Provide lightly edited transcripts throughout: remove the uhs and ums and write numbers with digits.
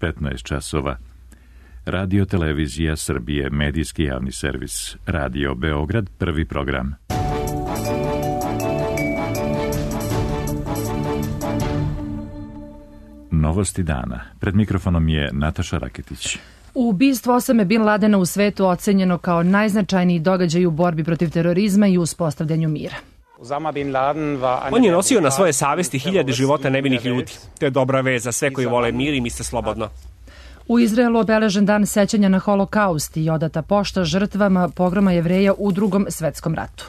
15 časova. Radio Televizija Srbije, medijski javni servis. Radio Beograd, prvi program. Novosti dana. Pred mikrofonom je Nataša Raketić. Ubistvo Osame Bin Ladena u svetu ocenjeno kao najznačajniji događaj u borbi protiv terorizma i uspostavljanju mira. On je nosio na svoje savesti hiljade života nevinih ljudi. To je dobra vez za sve koji vole mir i misle slobodno. U Izraelu obeležen dan sećanja na holokaust i odata pošta žrtvama pogroma Jevreja u Drugom svetskom ratu.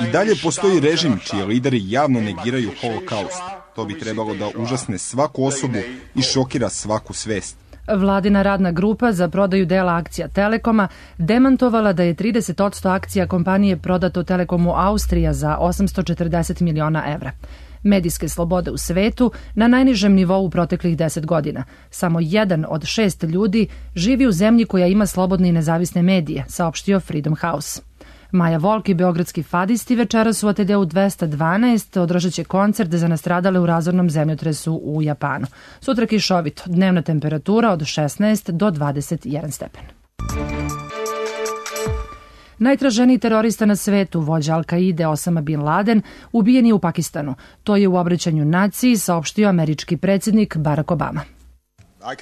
I dalje postoji režim čiji lideri javno negiraju holokaust. To bi trebalo da užasne svaku osobu i šokira svaku svest. Vladina radna grupa za prodaju dela akcija Telekoma demantovala da je 30% akcija kompanije prodato Telekomu Austrija za 840 miliona evra. Medijske slobode u svetu na najnižem nivou u proteklih 10 godina. Samo 1 od 6 ljudi živi u zemlji koja ima slobodne i nezavisne medije, saopštio Freedom House. Maja Volk i beogradski fadisti večeras u ATD-u 212 održat će koncert za nastradale u razornom zemljotresu u Japanu. Sutra kišovito, dnevna temperatura od 16 do 21 stepen. Najtraženiji terorista na svetu, vođa Al-Kaide Osama Bin Laden, ubijen je u Pakistanu. To je u obraćanju naciji saopštio američki predsjednik Barack Obama.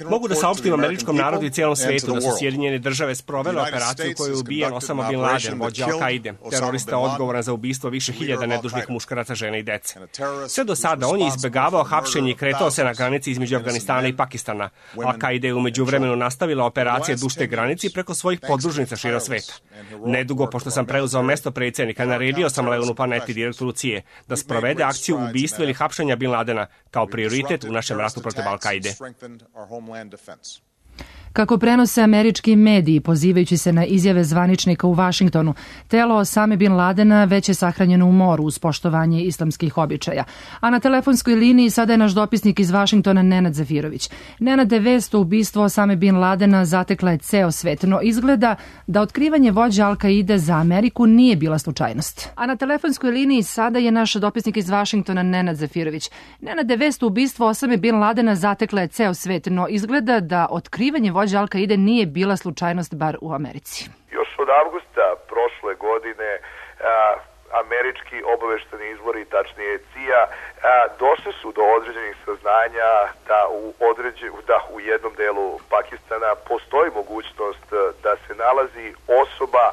Mogu da saopštim američkom narodu i cijelom svetu da su Sjedinjene države sprovele operaciju koju je ubijen Osama Bin Laden, vođa Al-Kaide, terorista odgovoran za ubistvo više hiljada nedužnih muškaraca, žena i dece. Sve do sada on je izbegavao hapšenje i kretao se na granici između Afganistana i Pakistana. Al-Kaide je umeđu vremenu nastavila operacije duž te granici preko svojih podružnica širom sveta. Nedugo pošto sam preuzeo mesto predsjednika, naredio sam Leonu Paneti, direktoru CIA, da sprovede akciju ubistva ili hapšenja Bin Ladena kao prioritet u našem ratu protiv Al-Kaide. Kako prenose američki mediji, pozivajući se na izjave zvaničnika u Vašingtonu, telo Osame Bin Ladena već je sahranjeno u moru uz poštovanje islamskih običaja. A na telefonskoj liniji sada je naš dopisnik iz Vašingtona Nenad Zafirović. Nenade, vest o ubistvu Osame Bin Ladena zatekla je ceo svet, no izgleda da otkrivanje vođa Al-Kaide za Ameriku nije bila slučajnost. A na telefonskoj liniji sada je naš dopisnik iz Vašingtona Nenad Zafirović. Nenade, vest o ubistvu Osame Bin Ladena zatekla je ceo svet, no izgleda da otkrivanje vođa Al-Kaide nije bila slučajnost bar u Americi. Još od avgusta prošle godine američki obavešteni izvori, tačnije CIA, došli su do određenih saznanja da u jednom delu Pakistana postoji mogućnost da se nalazi osoba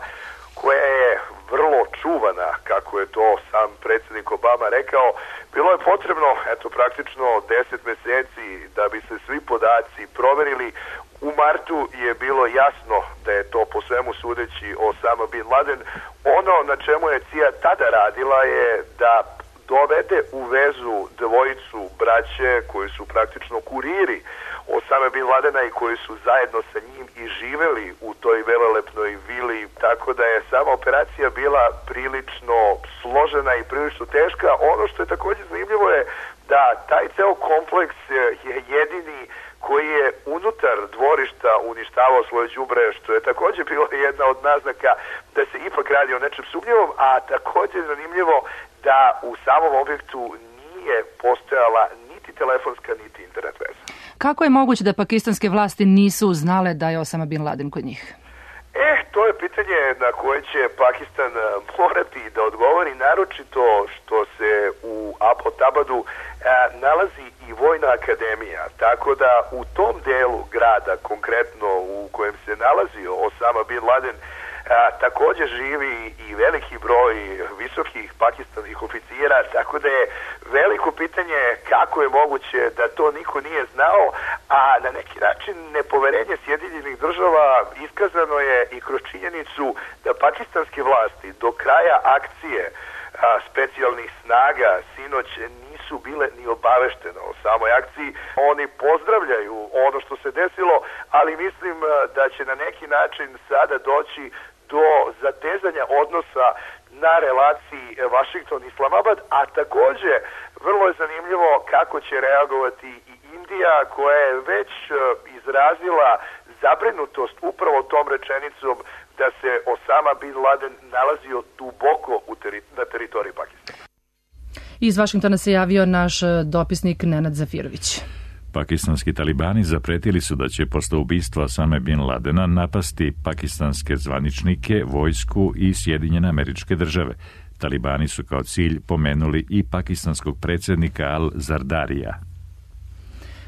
koja je vrlo čuvana, kako je to sam predsjednik Obama rekao. Bilo je potrebno, praktično 10 meseci da bi se svi podaci proverili. U martu je bilo jasno da je to po svemu sudeći Osama Bin Laden. Ono na čemu je CIA tada radila je da dovede u vezu dvojicu braće koji su praktično kuriri Osama Bin Ladena i koji su zajedno sa njim i živeli u toj velelepnoj vili, tako da je sama operacija bila prilično složena i prilično teška. Ono što je također zanimljivo je da taj ceo kompleks je jedini koji je unutar dvorišta uništavao svoje đubre, što je također bila jedna od naznaka da se ipak radi o nečem sumnjivom, a također je zanimljivo da u samom objektu nije postojala niti telefonska, niti internet veza. Kako je moguće da pakistanske vlasti nisu znale da je Osama Bin Laden kod njih? To je pitanje na koje će Pakistan morati da odgovori, naročito što se u Abbottabadu nalazi i Vojna akademija, tako da u tom delu grada, konkretno u kojem se nalazio Osama Bin Laden, također živi i veliki broj visokih pakistanskih oficira, tako da je veliko pitanje kako je moguće da to niko nije znao, a na neki način nepoverenje Sjedinjenih država iskazano je i kroz činjenicu da pakistanske vlasti do kraja akcije specijalnih snaga sinoć nisu bile ni obaveštene o samoj akciji. Oni pozdravljaju ono što se desilo, ali mislim da će na neki način sada doći do zatezanja odnosa na relaciji Washington-Islamabad, a također vrlo je zanimljivo kako će reagovati i Indija, koja je već izrazila zabrinutost upravo tom rečenicom da se Osama Bin Laden nalazio duboko na teritoriji Pakistana. Iz Vašingtona se javio naš dopisnik Nenad Zafirović. Pakistanski talibani zapretili su da će posle ubistva Osame bin Ladena napasti pakistanske zvaničnike, vojsku i Sjedinjene Američke Države. Talibani su kao cilj pomenuli i pakistanskog predsjednika Al-Zardarija.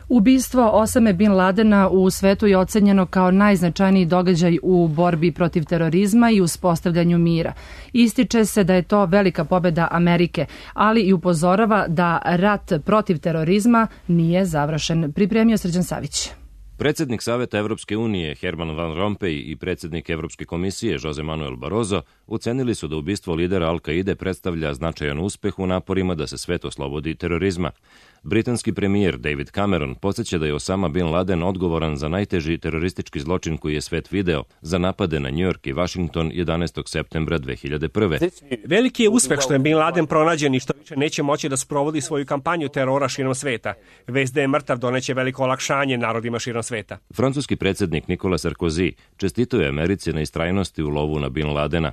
Ubistvo Osame bin Ladena u svetu je ocenjeno kao najznačajniji događaj u borbi protiv terorizma i uspostavljanju mira. Ističe se da je to velika pobjeda Amerike, ali i upozorava da rat protiv terorizma nije završen. Pripremio Srđan Savić. Predsjednik Saveta Evropske unije Herman Van Rompuy i predsjednik Evropske komisije Jose Manuel Barroso ocenili su da ubistvo lidera Al-Kaide predstavlja značajan uspeh u naporima da se svet oslobodi terorizma. Britanski premijer David Cameron podsjeća da je Osama bin Laden odgovoran za najteži teroristički zločin koji je svet video, za napade na New York i Washington 11. septembra 2001. Veliki je uspeh što je bin Laden pronađen i što više neće moći da sprovodi svoju kampanju terora širom sveta. Vest da je mrtav doneće veliko olakšanje narodima širom sveta. Francuski predsjednik Nicolas Sarkozy čestitao je Americi na istrajnosti u lovu na bin Ladena.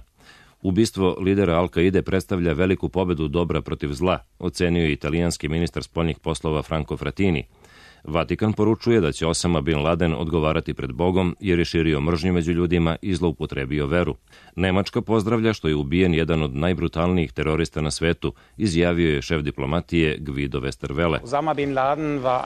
Ubistvo lidera Al-Kaide predstavlja veliku pobedu dobra protiv zla, ocenio je italijanski ministar spoljnih poslova Franco Frattini. Vatikan poručuje da će Osama bin Laden odgovarati pred Bogom jer je širio mržnju među ljudima i zloupotrebio veru. Nemačka pozdravlja što je ubijen jedan od najbrutalnijih terorista na svetu, izjavio je šef diplomatije Guido Westerwelle.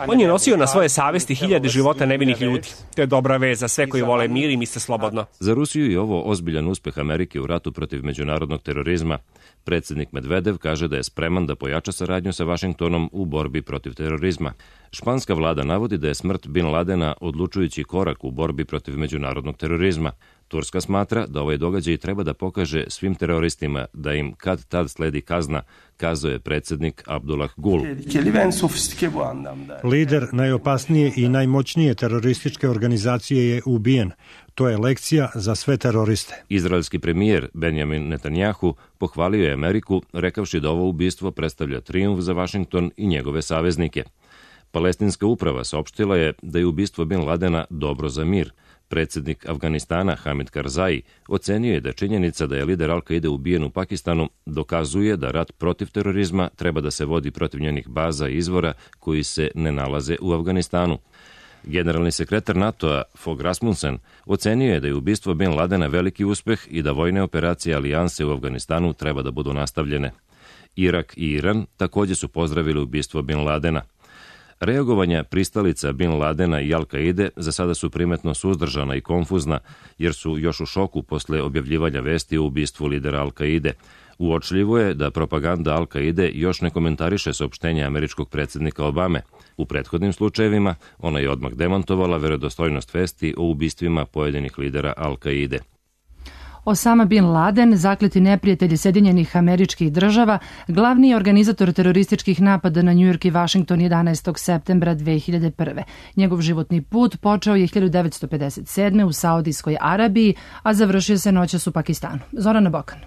On je nosio na svoje savesti hiljade života nevinih ljudi. To je dobra vez za sve koji vole mir i misle slobodno. Za Rusiju je ovo ozbiljan uspeh Amerike u ratu protiv međunarodnog terorizma. Predsjednik Medvedev kaže da je spreman da pojača saradnju sa Vašingtonom u borbi protiv terorizma. Španska vlada navodi da je smrt bin Ladena odlučujući korak u borbi protiv međunarodnog terorizma. Turska smatra da ovaj događaj treba da pokaže svim teroristima da im kad tad sledi kazna, kazao je predsjednik Abdullah Gul. Lider najopasnije i najmoćnije terorističke organizacije je ubijen. To je lekcija za sve teroriste. Izraelski premijer Benjamin Netanjahu pohvalio je Ameriku, rekavši da ovo ubistvo predstavlja trijumf za Vašington i njegove saveznike. Palestinska uprava saopštila je da je ubistvo bin Ladena dobro za mir. Predsjednik Afganistana Hamid Karzai ocenio je da činjenica da je lider Al-Kaide ubijen u Pakistanu dokazuje da rat protiv terorizma treba da se vodi protiv njenih baza i izvora koji se ne nalaze u Afganistanu. Generalni sekretar NATO-a Fogh Rasmussen ocenio je da je ubistvo bin Ladena veliki uspeh i da vojne operacije alijanse u Afganistanu treba da budu nastavljene. Irak i Iran također su pozdravili ubistvo bin Ladena. Reagovanja pristalica bin Ladena i Al-Kaide za sada su primetno suzdržana i konfuzna, jer su još u šoku posle objavljivanja vesti o ubistvu lidera Al-Kaide. Uočljivo je da propaganda Al-Kaide još ne komentariše saopštenje američkog predsjednika Obame. U prethodnim slučajevima ona je odmah demantovala verodostojnost vesti o ubistvima pojedinih lidera Al-Kaide. Osama bin Laden, zakleti neprijatelj Sjedinjenih Američkih Država, glavni organizator terorističkih napada na New York i Washington 11. septembra 2001. Njegov životni put počeo je 1957. u Saudijskoj Arabiji, a završio se noćas u Pakistanu. Zorana Bokan.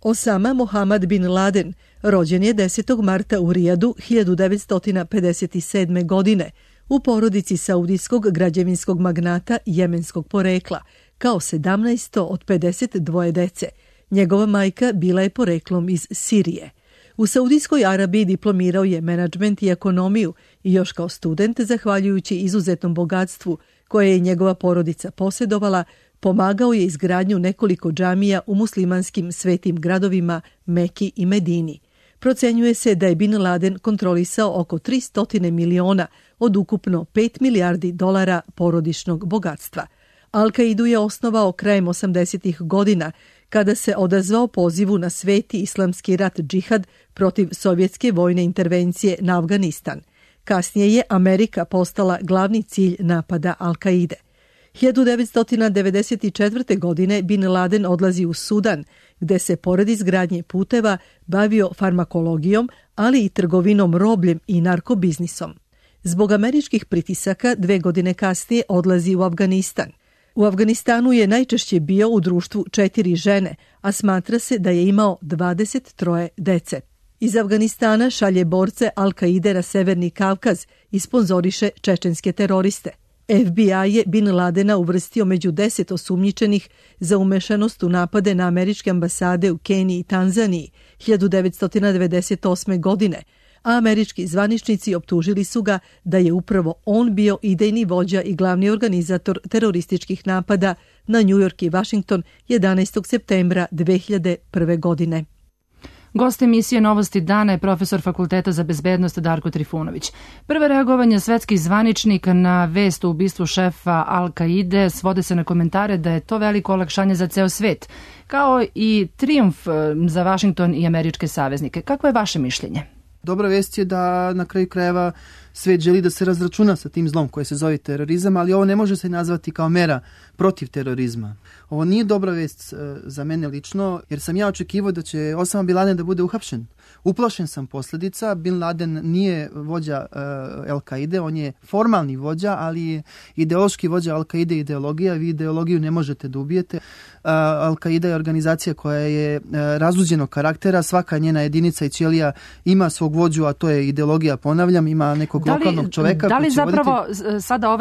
Osama Mohammad bin Laden rođen je 10. marta u Rijadu 1957. godine u porodici saudijskog građevinskog magnata jemenskog porekla, kao 17. od 52 dece. Njegova majka bila je poreklom iz Sirije. U Saudijskoj Arabiji diplomirao je menadžment i ekonomiju i još kao student, zahvaljujući izuzetnom bogatstvu koje je njegova porodica posjedovala, pomagao je izgradnju nekoliko džamija u muslimanskim svetim gradovima Meki i Medini. Procenjuje se da je bin Laden kontrolisao oko 300 miliona od ukupno 5 milijardi dolara porodičnog bogatstva. Al-Kaidu je osnovao krajem 80. godina, kada se odazvao pozivu na sveti islamski rat džihad protiv sovjetske vojne intervencije na Afganistan. Kasnije je Amerika postala glavni cilj napada Al-Kaide. 1994. godine bin Laden odlazi u Sudan, gde se pored izgradnje puteva bavio farmakologijom, ali i trgovinom robljem i narkobiznisom. Zbog američkih pritisaka 2 godine kasnije odlazi u Afganistan. U Afganistanu je najčešće bio u društvu 4 žene, a smatra se da je imao 23 dece. Iz Afganistana šalje borce Al-Kaide na Severni Kavkaz i sponzoriše čečenske teroriste. FBI je bin Ladena uvrstio među 10 osumnjičenih za umešanost u napade na američke ambasade u Keniji i Tanzaniji 1998. godine, a američki zvaničnici optužili su ga da je upravo on bio idejni vođa i glavni organizator terorističkih napada na New York i Washington 11. septembra 2001. godine. Gost emisije Novosti dana je profesor Fakulteta za bezbednost Darko Trifunović. Prva reagovanja svetskih zvaničnika na vest o ubistvu šefa Al-Kaide svode se na komentare da je to veliko olakšanje za ceo svet, kao i trijumf za Vašington i američke saveznike. Kako je vaše mišljenje? Dobra vest je da na kraju krajeva svet želi da se razračuna sa tim zlom koje se zove terorizam, ali ovo ne može se nazvati kao mera protiv terorizma. Ovo nije dobra vest za mene lično, jer sam ja očekivao da će Osama Bin Laden da bude uhapšen. Uplašen sam posljedica. Bin Laden nije vođa Al-Kaide, on je formalni vođa, ali je ideološki vođa Al-Kaide ideologija. Vi ideologiju ne možete da ubijete. Al-Kaida je organizacija koja je razuđenog karaktera, svaka njena jedinica i ćelija ima svog vođu, a to je ideologija, ponavljam, ima nekog lokalnog čoveka. Da li zapravo sada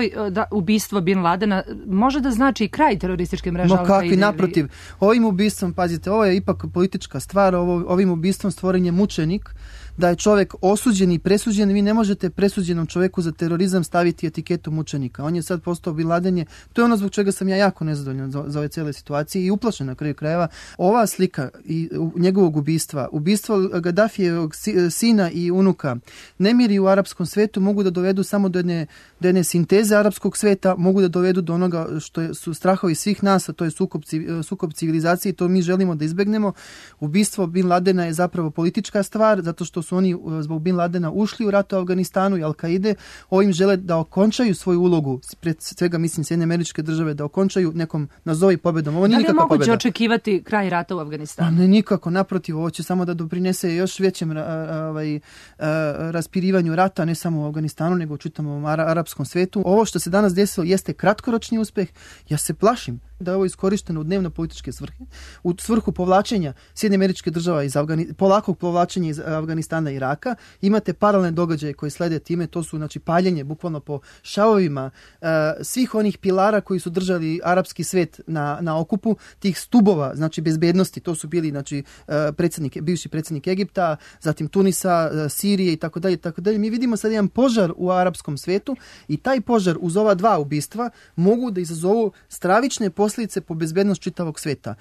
ubistvo Bin Ladena može da znači kraj terorističke mreže Al-Kaide? Kakvi, naprotiv. Ovim ubistvom, pazite, ovo je ipak politička stvar, ovim ubistvom stvoren je mučenik, da je čovjek osuđen i presuđen. Vi ne možete presuđenom čovjeku za terorizam staviti etiketu mučenika. On je sad postao Bin Laden. To je ono zbog čega sam ja jako nezadovoljan za ove cijele situacije i uplašen na kraju krajeva. Ova slika i njegovog ubistvo Gaddafijevog sina i unuka, nemiri u arapskom svetu mogu da dovedu samo do jedne sinteze arapskog sveta, mogu da dovedu do onoga što su strahovi svih nas, a to je sukob civilizacije i to mi želimo da izbegnemo. Ubistvo Bin Ladena je zapravo politička stvar, zato što su oni zbog Bin Ladena ušli u rat u Afganistanu i Al-Kaide, ovim žele da okončaju svoju ulogu, pred svega mislim Sjedinjene Američke Države, da okončaju nekom nazovi pobedom. Ovo nije nikakva pobeda. Da li je moguće očekivati kraj rata u Afganistanu? Ne, nikako, naprotiv, ovo će samo da doprinese još većem raspirivanju rata, ne samo u Afganistanu, nego u čitavom arapskom svetu. Ovo što se danas desilo jeste kratkoročni uspeh. Ja se plašim da je ovo iskorišteno u dnevno političke svrhe, u svrhu povlačenja Sjedinjenih Američkih Država polakog povlačenja iz Afganistana i Iraka. Imate paralelne događaje koji slede time, to su znači paljenje bukvalno po šavovima svih onih pilara koji su držali arapski svet na okupu, tih stubova, znači bezbednosti, to su bili znači bivši predsjednik Egipta, zatim Tunisa, Sirije i tako dalje. Mi vidimo sad jedan požar u arapskom svetu i taj požar uz ova dva ubistva mogu da izazovu stravične posljedice po bezbednost čitavog sveta.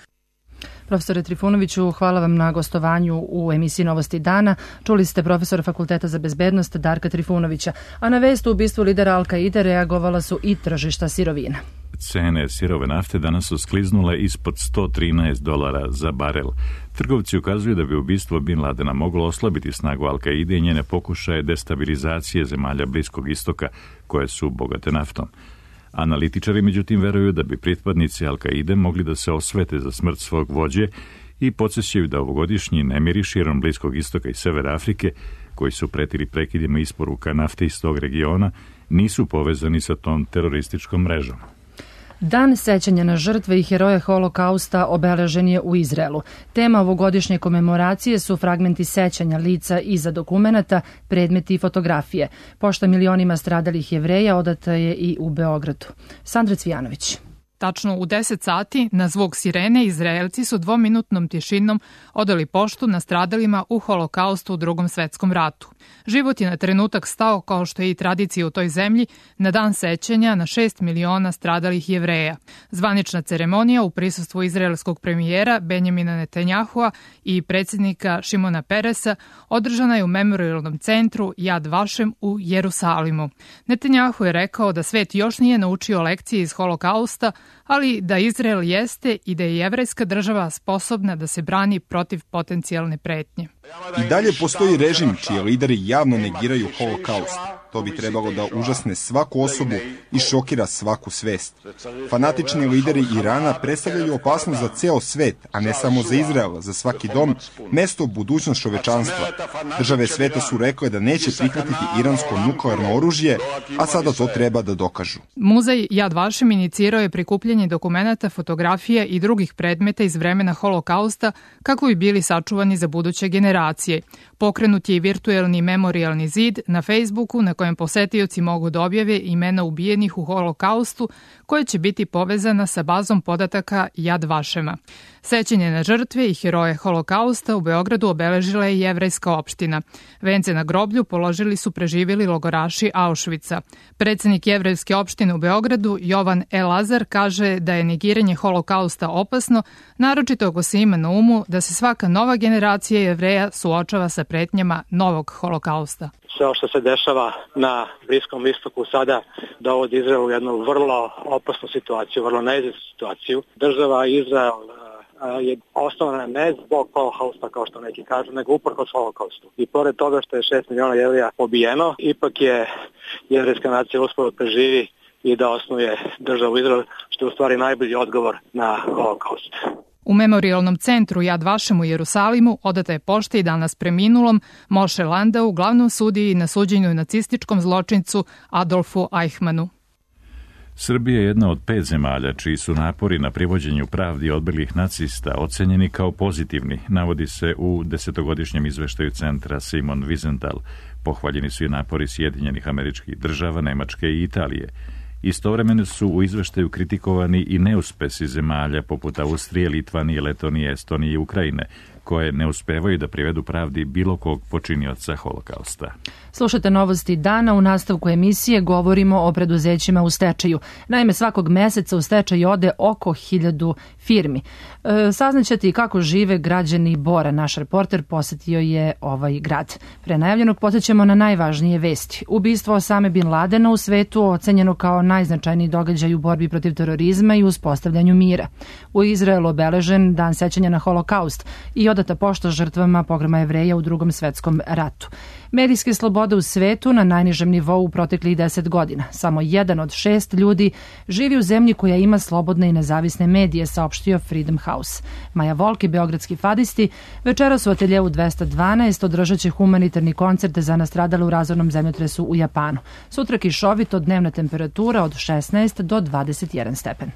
Profesore Trifunoviću, hvala vam na gostovanju u emisiji Novosti dana. Čuli ste profesora Fakulteta za bezbednost Darka Trifunovića, a na vest o ubistvu lidera Al-Kaide reagovala su i tržišta sirovina. Cene sirove nafte danas su skliznule ispod $113 za barel. Trgovci ukazuju da bi ubistvo Bin Ladena moglo oslabiti snagu Al-Kaide i njene pokušaje destabilizacije zemalja Bliskog istoka, koje su bogate naftom. Analitičari međutim veruju da bi pripadnici Al-Kaide mogli da se osvete za smrt svog vođe i podsjećaju da ovogodišnji nemiri širom Bliskog istoka i Severa Afrike, koji su pretili prekidima isporuka nafte iz tog regiona, nisu povezani sa tom terorističkom mrežom. Dan sećanja na žrtve i heroje Holokausta obeležen je u Izraelu. Tema ovogodišnje komemoracije su fragmenti sećanja lica iza dokumenata, predmeti i fotografije. Pošta milionima stradalih Jevreja odata je i u Beogradu. Sandra Cvijanović. Tačno u 10 sati na zvuk sirene Izraelci su 2-minutnom tišinom odali poštu nastradalima u Holokaustu u Drugom svetskom ratu. Život je na trenutak stao, kao što je i tradicija u toj zemlji, na dan sećanja na 6 miliona stradalih Jevreja. Zvanična ceremonija u prisustvu izraelskog premijera Benjamina Netanjahua i predsjednika Šimona Peresa održana je u memorialnom centru Yad Vashem u Jerusalimu. Netanjahu je rekao da svet još nije naučio lekcije iz Holokausta, ali da Izrael jeste i da je jevrejska država sposobna da se brani protiv potencijalne pretnje. I dalje postoji režim čiji lideri javno negiraju holokaust. To bi trebalo da užasne svaku osobu i šokira svaku svest. Fanatični lideri Irana predstavljaju opasnost za ceo svet, a ne samo za Izrael, za svaki dom, mesto budućnost čovečanstva. Države sveta su rekle da neće prihvatiti iransko nuklearno oružje, a sada to treba da dokažu. Muzej Yad Vashem inicirao je prikupljanje dokumenata, fotografija i drugih predmeta iz vremena Holokausta kako bi bili sačuvani za buduće generacije. Pokrenut je i virtuelni memorialni zid na Facebooku na kojem posetioci mogu da objave imena ubijenih u Holokaustu, koje će biti povezana sa bazom podataka Yad Vashema. Sećanje na žrtve i heroje holokausta u Beogradu obeležila je jevrejska opština. Vence na groblju položili su preživjeli logoraši Auschwitza. Predsednik jevrejske opštine u Beogradu, Jovan Elazar, kaže da je negiranje holokausta opasno, naročito ako se ima na umu da se svaka nova generacija Jevreja suočava sa pretnjama novog holokausta. Sve što se dešava na Bliskom istoku sada dovodi Izrael u jednu vrlo opasnu situaciju, vrlo neizvjesnu situaciju. Država Izrael je osnovana ne zbog holokausta, kao što neki kažu, nego uprkos holokaustu. I pored toga što je 6 miliona Jevreja pobijeno, ipak je jevrejska nacija uspela da preživi i da osnuje državu Izrael, što je u stvari najbolji odgovor na holokaust. U memorialnom centru Jad Vašem u Jerusalimu odata je pošta i danas preminulom Moše Landau, glavnom sudiji na suđenju nacističkom zločincu Adolfu Eichmannu. Srbija je jedna od 5 zemalja čiji su napori na privođenju pravdi odbelih nacista ocenjeni kao pozitivni, navodi se u 10-godišnjem izveštaju centra Simon Wiesenthal. Pohvaljeni su i napori Sjedinjenih Američkih Država, Nemačke i Italije. Istovremeno su u izveštaju kritikovani i neuspesi zemalja poput Austrije, Litvanije, Letonije, Estonije i Ukrajine, koje ne uspevaju da privedu pravdi bilo kog počinioca holokausta. Slušate novosti dana. U nastavku emisije govorimo o preduzećima u stečaju. Naime, svakog meseca u stečaj ode oko 1000 firmi. Saznaćete i kako žive građani Bora. Naš reporter posetio je ovaj grad. Pre najavljenog podsjećamo na najvažnije vesti. Ubistvo Osame bin Ladena u svetu ocenjeno kao najznačajniji događaj u borbi protiv terorizma i uspostavljanju mira. U Izraelu obeležen dan sećanja na holokaust i odata pošta žrtvama pogroma Jevreja u Drugom svetskom ratu. Medijske slobode u svetu na najnižem nivou u proteklih 10 godina. Samo 1 od 6 ljudi živi u zemlji koja ima slobodne i nezavisne medije, saopštio Freedom House. Maja Volk i beogradski fadisti večeras u ateljeu 212 održat će humanitarni koncert za nastradale u razornom zemljotresu u Japanu. Sutra kišovito, dnevna temperatura od 16 do 21 stepen.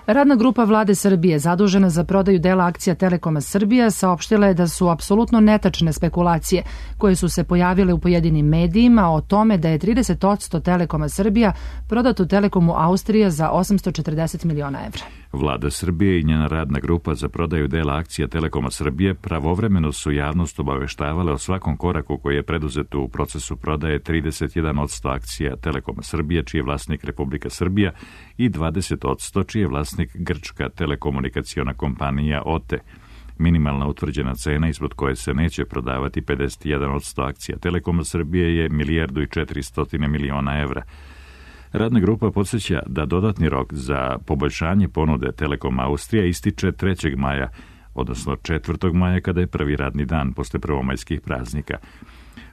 Radna grupa Vlade Srbije, zadužena za prodaju dela akcija Telekoma Srbija, saopštila je da su apsolutno netačne spekulacije koje su se pojavile u pojedinim medijima o tome da je 30% Telekoma Srbija prodato Telekomu Austrija za 840 miliona evra. Vlada Srbije i njena radna grupa za prodaju dela akcija Telekoma Srbije pravovremeno su javnost obaveštavale o svakom koraku koji je preduzet u procesu prodaje 31% akcija Telekoma Srbije, čiji je vlasnik Republika Srbija, i 20% čiji je vlasnik grčka telekomunikaciona kompanija OTE. Minimalna utvrđena cena ispod koje se neće prodavati 51% akcija Telekoma Srbije je 1,4 milijarde evra. Radna grupa podsjeća da dodatni rok za poboljšanje ponude Telekom Austrija ističe 3. maja, odnosno 4. maja kada je prvi radni dan posle prvomajskih praznika.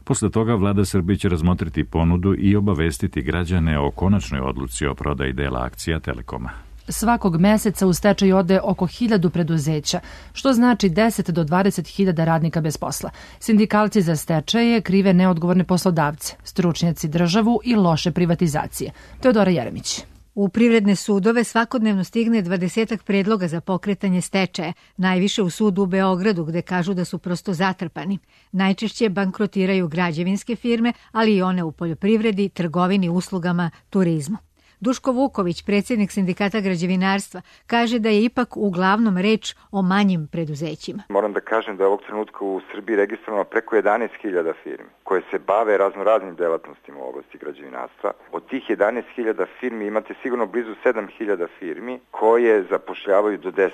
Posle toga Vlada Srbije će razmotriti ponudu i obavestiti građane o konačnoj odluci o prodaji dela akcija Telekoma. Svakog meseca u stečaj ode oko 1000 preduzeća, što znači 10 do 20.000 radnika bez posla. Sindikalci za stečaje krive neodgovorne poslodavce, stručnjaci državu i loše privatizacije. Teodora Jeremić. U privredne sudove svakodnevno stigne 20 predloga za pokretanje stečaja, najviše u sudu u Beogradu gde kažu da su prosto zatrpani. Najčešće bankrotiraju građevinske firme, ali i one u poljoprivredi, trgovini, uslugama, turizmu. Duško Vuković, predsjednik Sindikata građevinarstva, kaže da je ipak uglavnom reč o manjim preduzećima. Moram da kažem da je ovog trenutka u Srbiji registrovano preko 11.000 firmi koje se bave raznoraznim delatnostima u oblasti građevinarstva. Od tih 11.000 firmi imate sigurno blizu 7.000 firmi koje zapošljavaju do 10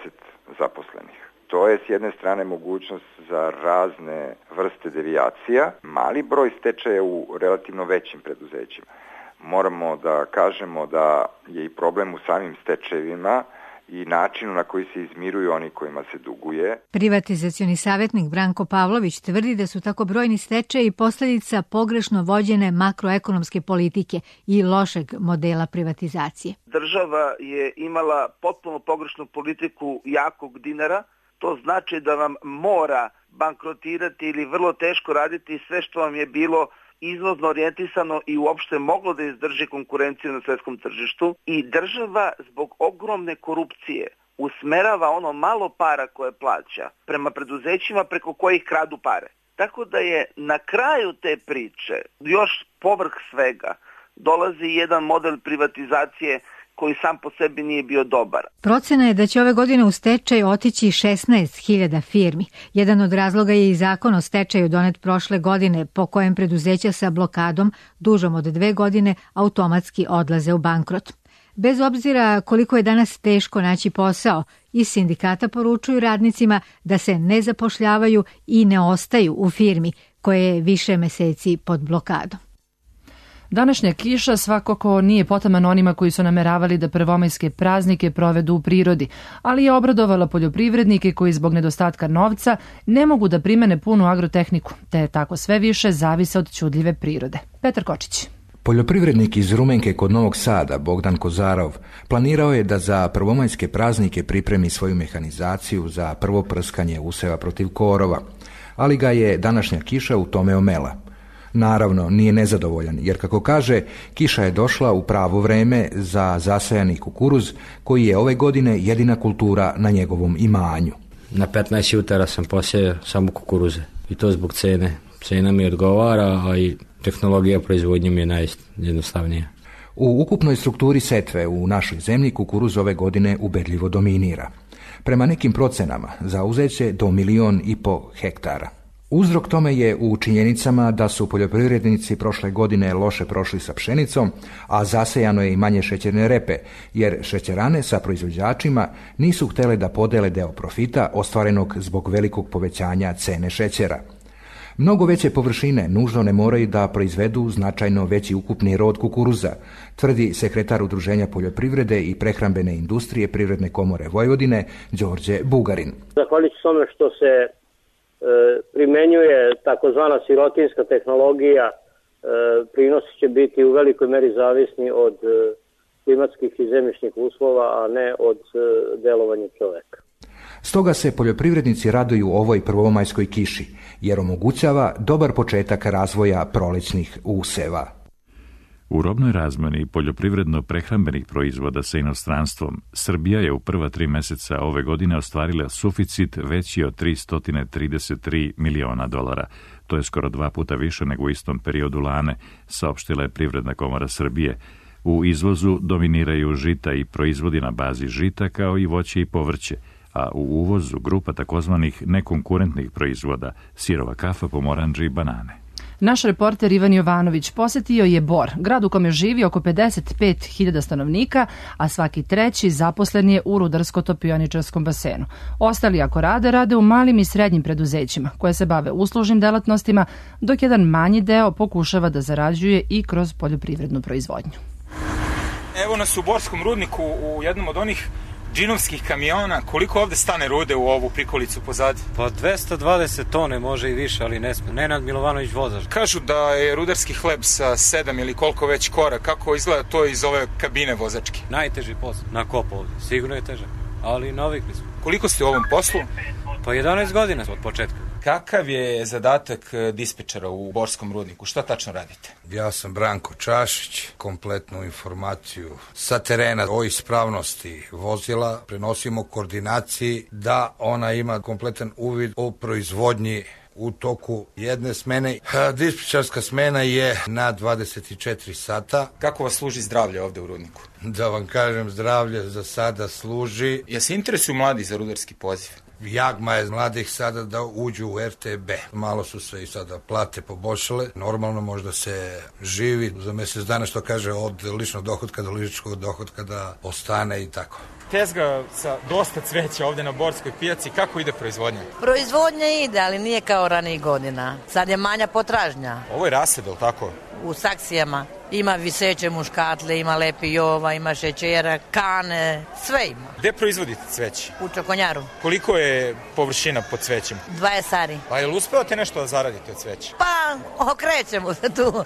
zaposlenih. To je s jedne strane mogućnost za razne vrste devijacija, mali broj stečaja u relativno većim preduzećima. Moramo da kažemo da je i problem u samim stečajevima i načinu na koji se izmiruju oni kojima se duguje. Privatizacioni savjetnik Branko Pavlović tvrdi da su tako brojni stečaji posljedica pogrešno vođene makroekonomske politike i lošeg modela privatizacije. Država je imala potpuno pogrešnu politiku jakog dinara. To znači da vam mora bankrotirati ili vrlo teško raditi sve što vam je bilo izvozno orijentisano i uopšte moglo da izdrži konkurenciju na svetskom tržištu, i država zbog ogromne korupcije usmerava ono malo para koje plaća prema preduzećima preko kojih kradu pare. Tako da je na kraju te priče, još povrh svega, dolazi jedan model privatizacije koji sam po sebi nije bio dobar. Procena je da će ove godine u stečaj otići 16.000 firmi. Jedan od razloga je i zakon o stečaju donet prošle godine, po kojem preduzeća sa blokadom dužom od 2 godine automatski odlaze u bankrot. Bez obzira koliko je danas teško naći posao, iz sindikata poručuju radnicima da se ne zapošljavaju i ne ostaju u firmi koje je više meseci pod blokadom. Današnja kiša svakako nije potaman onima koji su nameravali da prvomajske praznike provedu u prirodi, ali je obradovala poljoprivrednike koji zbog nedostatka novca ne mogu da primene punu agrotehniku, te tako sve više zavise od ćudljive prirode. Petar Kočić. Poljoprivrednik iz Rumenke kod Novog Sada, Bogdan Kozarov, planirao je da za prvomajske praznike pripremi svoju mehanizaciju za prvo prskanje useva protiv korova, ali ga je današnja kiša u tome omela. Naravno, nije nezadovoljan, jer kako kaže, kiša je došla u pravo vreme za zasejani kukuruz, koji je ove godine jedina kultura na njegovom imanju. Na 15 jutara sam posejao samo kukuruze i to zbog cene. Cena mi odgovara, a i tehnologija proizvodnje mi je najjednostavnija. U ukupnoj strukturi setve u našoj zemlji kukuruz ove godine ubedljivo dominira. Prema nekim procenama zauzet će do 1,5 miliona hektara. Uzrok tome je u činjenicama da su poljoprivrednici prošle godine loše prošli sa pšenicom, a zasejano je i manje šećerne repe, jer šećerane sa proizvođačima nisu htjele da podele deo profita ostvarenog zbog velikog povećanja cene šećera. Mnogo veće površine nužno ne moraju da proizvedu značajno veći ukupni rod kukuruza, tvrdi sekretar Udruženja poljoprivrede i prehrambene industrije Privredne komore Vojvodine, Đorđe Bugarin. Zahvaljujući tome što se primenjuje takozvana sirotinska tehnologija, prinosi će biti u velikoj meri zavisni od klimatskih i zemljišnih uslova, a ne od delovanja čoveka. Stoga se poljoprivrednici raduju ovoj prvomajskoj kiši, jer omogućava dobar početak razvoja prolećnih useva. U robnoj razmeni poljoprivredno-prehrambenih proizvoda sa inostranstvom, Srbija je u prva 3 meseca ove godine ostvarila suficit veći od $333 miliona. To je skoro 2 puta više nego u istom periodu lane, saopštila je Privredna komora Srbije. U izvozu dominiraju žita i proizvodi na bazi žita, kao i voće i povrće, a u uvozu grupa takozvanih nekonkurentnih proizvoda, sirova kafa, pomorandže i banane. Naš reporter Ivan Jovanović posetio je Bor, grad u kome živi oko 55.000 stanovnika, a svaki treći zaposlen je u rudarsko-topioničarskom basenu. Ostali ako rade u malim i srednjim preduzećima, koje se bave uslužnim delatnostima, dok jedan manji deo pokušava da zarađuje i kroz poljoprivrednu proizvodnju. Evo nas u Borskom rudniku u jednom od onih džinovskih kamiona. Koliko ovde stane rude u ovu prikolicu pozadi? Pa 220 tone, može i više, ali ne sme. Nenad Milovanović vozač. Kažu da je rudarski hleb sa 7 ili koliko već kora. Kako izgleda to iz ove kabine vozačke? Najteži posao na kopu ovde. Sigurno je teže, ali navikli smo. Koliko ste u ovom poslu? Pa 11 godina od početka. Kakav je zadatak dispečera u Borskom rudniku? Šta tačno radite? Ja sam Branko Čašić, kompletnu informaciju sa terena o ispravnosti vozila prenosimo koordinaciji da ona ima kompletan uvid o proizvodnji u toku jedne smene. Dispečarska smena je na 24 sata. Kako vas služi zdravlje ovde u rudniku? Da vam kažem, zdravlje za sada služi. Ja se interesuju mladi za rudarski poziv? Jagma je mladih sada da uđu u RTB. Malo su se i sada plate poboljšale. Normalno možda se živi za mjesec dana, što kaže, od ličnog dohotka do ličnog dohotka da ostane i tako. Tezga sa dosta cveća ovdje na Borskoj pijaci. Kako ide proizvodnja? Proizvodnja ide, ali nije kao ranijih godina. Sad je manja potražnja. Ovo je rased, ili tako? U saksijama. Ima viseće muškatle, ima lepi jova, ima šećera, kane, sve ima. Gde proizvodite cveće? U Čokonjaru. Koliko je površina pod cvećem? 20 ari. Pa je li uspevate nešto da zaradite od cveća? Pa, okrećemo se tu.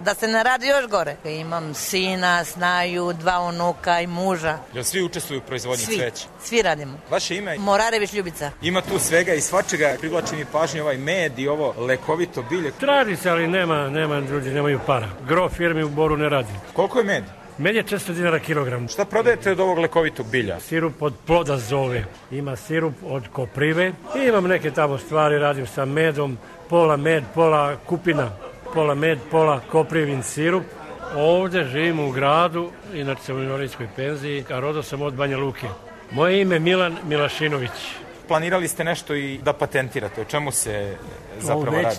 Da se ne radi još gore. Imam sina, snaju, 2 unuka i muža. Jel svi učestvuju u proizvodnji cveća? Svi radimo. Vaše ime? Morarević Ljubica. Ima tu svega i svačega. Privlači mi pažnju ovaj med i ovo lekovito bilje. Radi se, ali nema ljudi, nemaju para. Gro firmi u Boru ne radi. Koliko je med? Med je 400 dinara kilogram. Šta prodajete od ovog lekovitog bilja? Sirup od ploda zove. Ima sirup od koprive. I imam neke tamo stvari, radim sa medom. Pola med, pola kupina. Pola med, pola koprivin sirup. Ovde živim u gradu, inače sam u invalidskoj penziji, a rodao sam od Banja Luke. Moje ime je Milan Milašinović. Planirali ste nešto i da patentirate, o čemu se zapravo radi?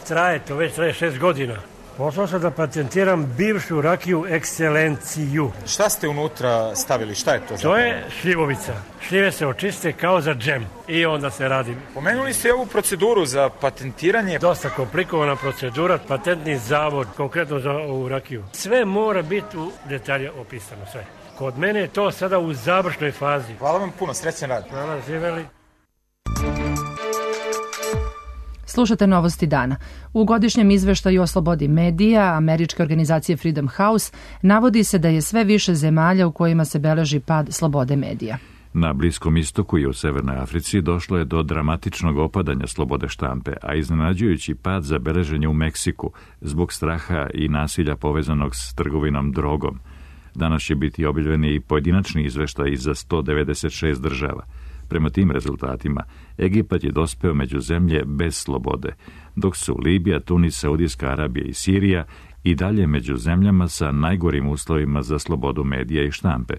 To već traje 6 godina. Poslao sam da patentiram bivšu rakiju Ekscelenciju. Šta ste unutra stavili, šta je to zapravo? To je šljivovica. Šljive se očiste kao za džem i onda se radi. Pomenuli ste ovu proceduru za patentiranje. Dosta komplikovana procedura, patentni zavod, konkretno za ovu rakiju. Sve mora biti u detalje opisano, sve. Kod mene je to sada u završnoj fazi. Hvala vam puno, srećan rad. Hvala, živeli. Slušate Novosti dana. U godišnjem izveštaju o slobodi medija američke organizacije Freedom House navodi se da je sve više zemalja u kojima se beleži pad slobode medija. Na Bliskom istoku i u Severnoj Africi došlo je do dramatičnog opadanja slobode štampe, a iznenađujući pad zabeležen je u Meksiku zbog straha i nasilja povezanog s trgovinom drogom. Danas će biti objavljeni i pojedinačni izveštaj za 196 država. Prema tim rezultatima, Egipat je dospeo među zemlje bez slobode, dok su Libija, Tunis, Saudijska Arabija i Sirija i dalje među zemljama sa najgorim uslovima za slobodu medija i štampe.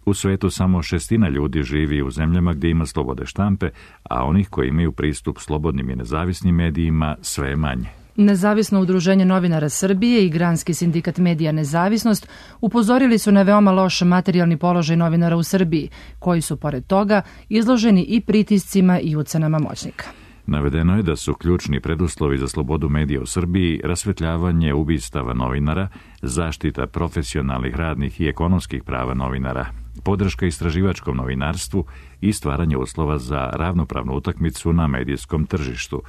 U svetu samo 1/6 ljudi živi u zemljama gdje ima slobode štampe, a onih koji imaju pristup slobodnim i nezavisnim medijima sve je manje. Nezavisno udruženje novinara Srbije i Granski sindikat Medija Nezavisnost upozorili su na veoma loš materijalni položaj novinara u Srbiji, koji su pored toga izloženi i pritiscima i ucenama moćnika. Navedeno je da su ključni preduslovi za slobodu medija u Srbiji rasvetljavanje ubistava novinara, zaštita profesionalnih, radnih i ekonomskih prava novinara, podrška istraživačkom novinarstvu i stvaranje uslova za ravnopravnu utakmicu na medijskom tržištu.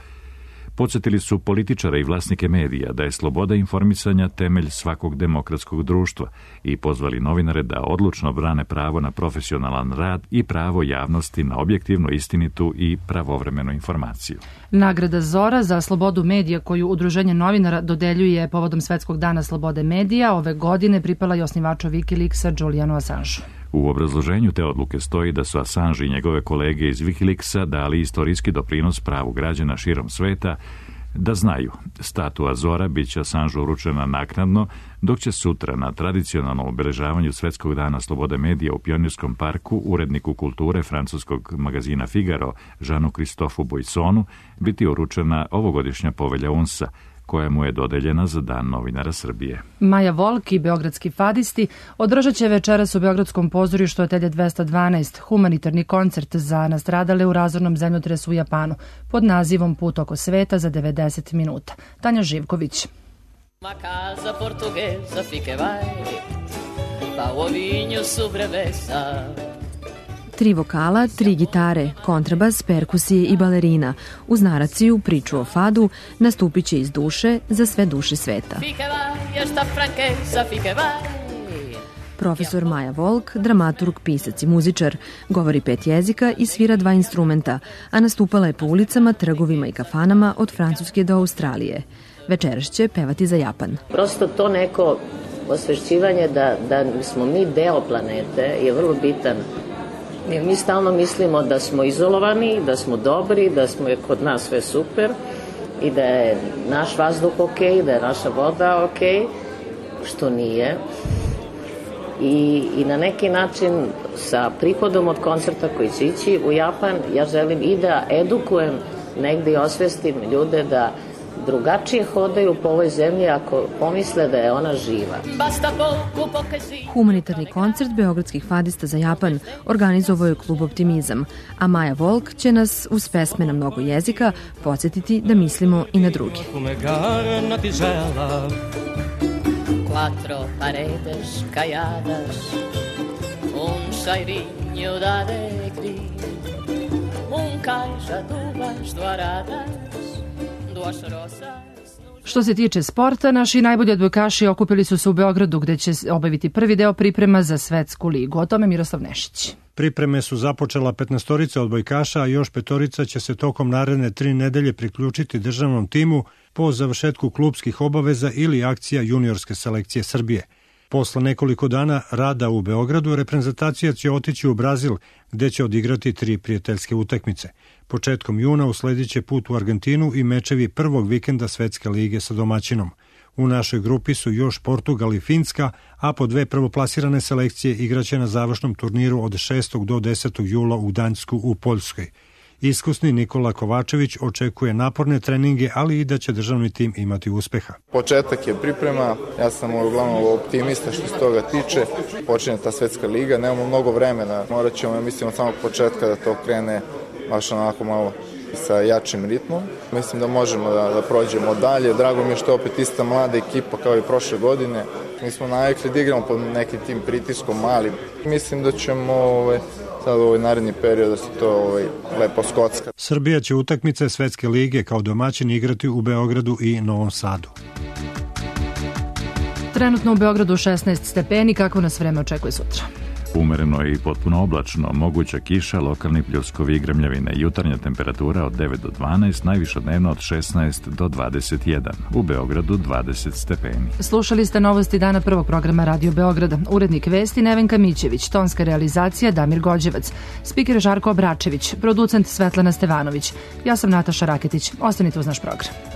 Podsjetili su političare i vlasnike medija da je sloboda informisanja temelj svakog demokratskog društva i pozvali novinare da odlučno brane pravo na profesionalan rad i pravo javnosti na objektivnu, istinitu i pravovremenu informaciju. Nagrada Zora za slobodu medija koju Udruženje novinara dodeljuje povodom Svetskog dana slobode medija ove godine pripala i osnivaču Wikileaksa Julianu Assangeu. U obrazloženju te odluke stoji da su Assange i njegove kolege iz Wikileaksa dali istorijski doprinos pravu građana širom sveta da znaju. Statua Zora bit će Assangeu uručena naknadno, dok će sutra na tradicionalnom obeležavanju Svetskog dana slobode medija u Pionirskom parku uredniku kulture francuskog magazina Figaro, Jeanu-Christophe Buissonu, biti uručena ovogodišnja povelja UNS-a, koja mu je dodeljena za Dan novinara Srbije. Maja Volk i beogradski fadisti održat će večeras u Beogradskom pozorištu Atelje 212 humanitarni koncert za nastradale u razornom zemljotresu u Japanu pod nazivom Put oko sveta za 90 minuta. Tanja Živković. Ma casa portoghesa fiche vai, pa o vinho sobrevesa. 3 vokala, 3 gitare, kontrabas, perkusije i balerina. Uz naraciju, priču o fadu, nastupit će iz duše za sve duše sveta. Profesor Maja Volk, dramaturg, pisac i muzičar, govori 5 jezika i svira 2 instrumenta, a nastupala je po ulicama, trgovima i kafanama od Francuske do Australije. Večeras će pevati za Japan. Prosto to neko osvešćivanje da smo mi deo planete je vrlo bitan. Mi stalno mislimo da smo izolovani, da smo dobri, da smo kod nas sve super i da je naš vazduh okej, da je naša voda okej, što nije. I na neki način sa prihodom od koncerta koji će ići u Japan, ja želim i da edukujem negdje i osvestim ljude da drugačije hodaju po ovoj zemlji ako pomisle da je ona živa. Humanitarni koncert beogradskih fadista za Japan organizovao je klub Optimizam, a Maja Volk će nas uz pesme na mnogo jezika podsjetiti da mislimo i na druge. Quattro paredes calladas, un cheirinho de alegria, caixa d'uvas douradas. Što se tiče sporta, naši najbolji odbojkaši okupili su se u Beogradu gde će obaviti prvi deo priprema za svetsku ligu. O tome Miroslav Nešić. Pripreme su započela 15 odbojkaša, a još 5 će se tokom naredne 3 nedelje priključiti državnom timu po završetku klubskih obaveza ili akcija juniorske selekcije Srbije. Posle nekoliko dana rada u Beogradu, reprezentacija će otići u Brazil, gde će odigrati 3 prijateljske utakmice. Početkom juna usledit će put u Argentinu i mečevi prvog vikenda Svetske lige sa domaćinom. U našoj grupi su još Portugal i Finska, a po 2 prvoplasirane selekcije igraće na završnom turniru od 6. do 10. jula u Gdańsku u Poljskoj. Iskusni Nikola Kovačević očekuje naporne treninge, ali i da će državni tim imati uspeha. Početak je priprema, ja sam uglavnom optimista što se toga tiče. Počinje ta svetska liga, nemamo mnogo vremena, morat ćemo, ja mislim, od samog početka da to krene baš onako malo sa jačim ritmom. Mislim da možemo da prođemo dalje. Drago mi je što je opet ista mlada ekipa kao i prošle godine. Mi smo navikli da igramo pod nekim tim pritiskom malim. Mislim da ćemo sad u ovaj naredni period da se to lepo skocka. Srbija će utakmice Svetske lige kao domaćin igrati u Beogradu i Novom Sadu. Trenutno u Beogradu 16 stepeni, kako nas vreme očekuje sutra? Umereno i potpuno oblačno, moguća kiša, lokalni pljuskovi i grmljavine. Jutarnja temperatura od 9 do 12, najviša dnevno od 16 do 21. U Beogradu 20 stepeni. Slušali ste novosti dana prvog programa Radio Beograda. Urednik vesti Nevenka Mićević, tonska realizacija Damir Gođevac, spiker Žarko Obračević, producent Svetlana Stevanović. Ja sam Nataša Raketić. Ostanite uz naš program.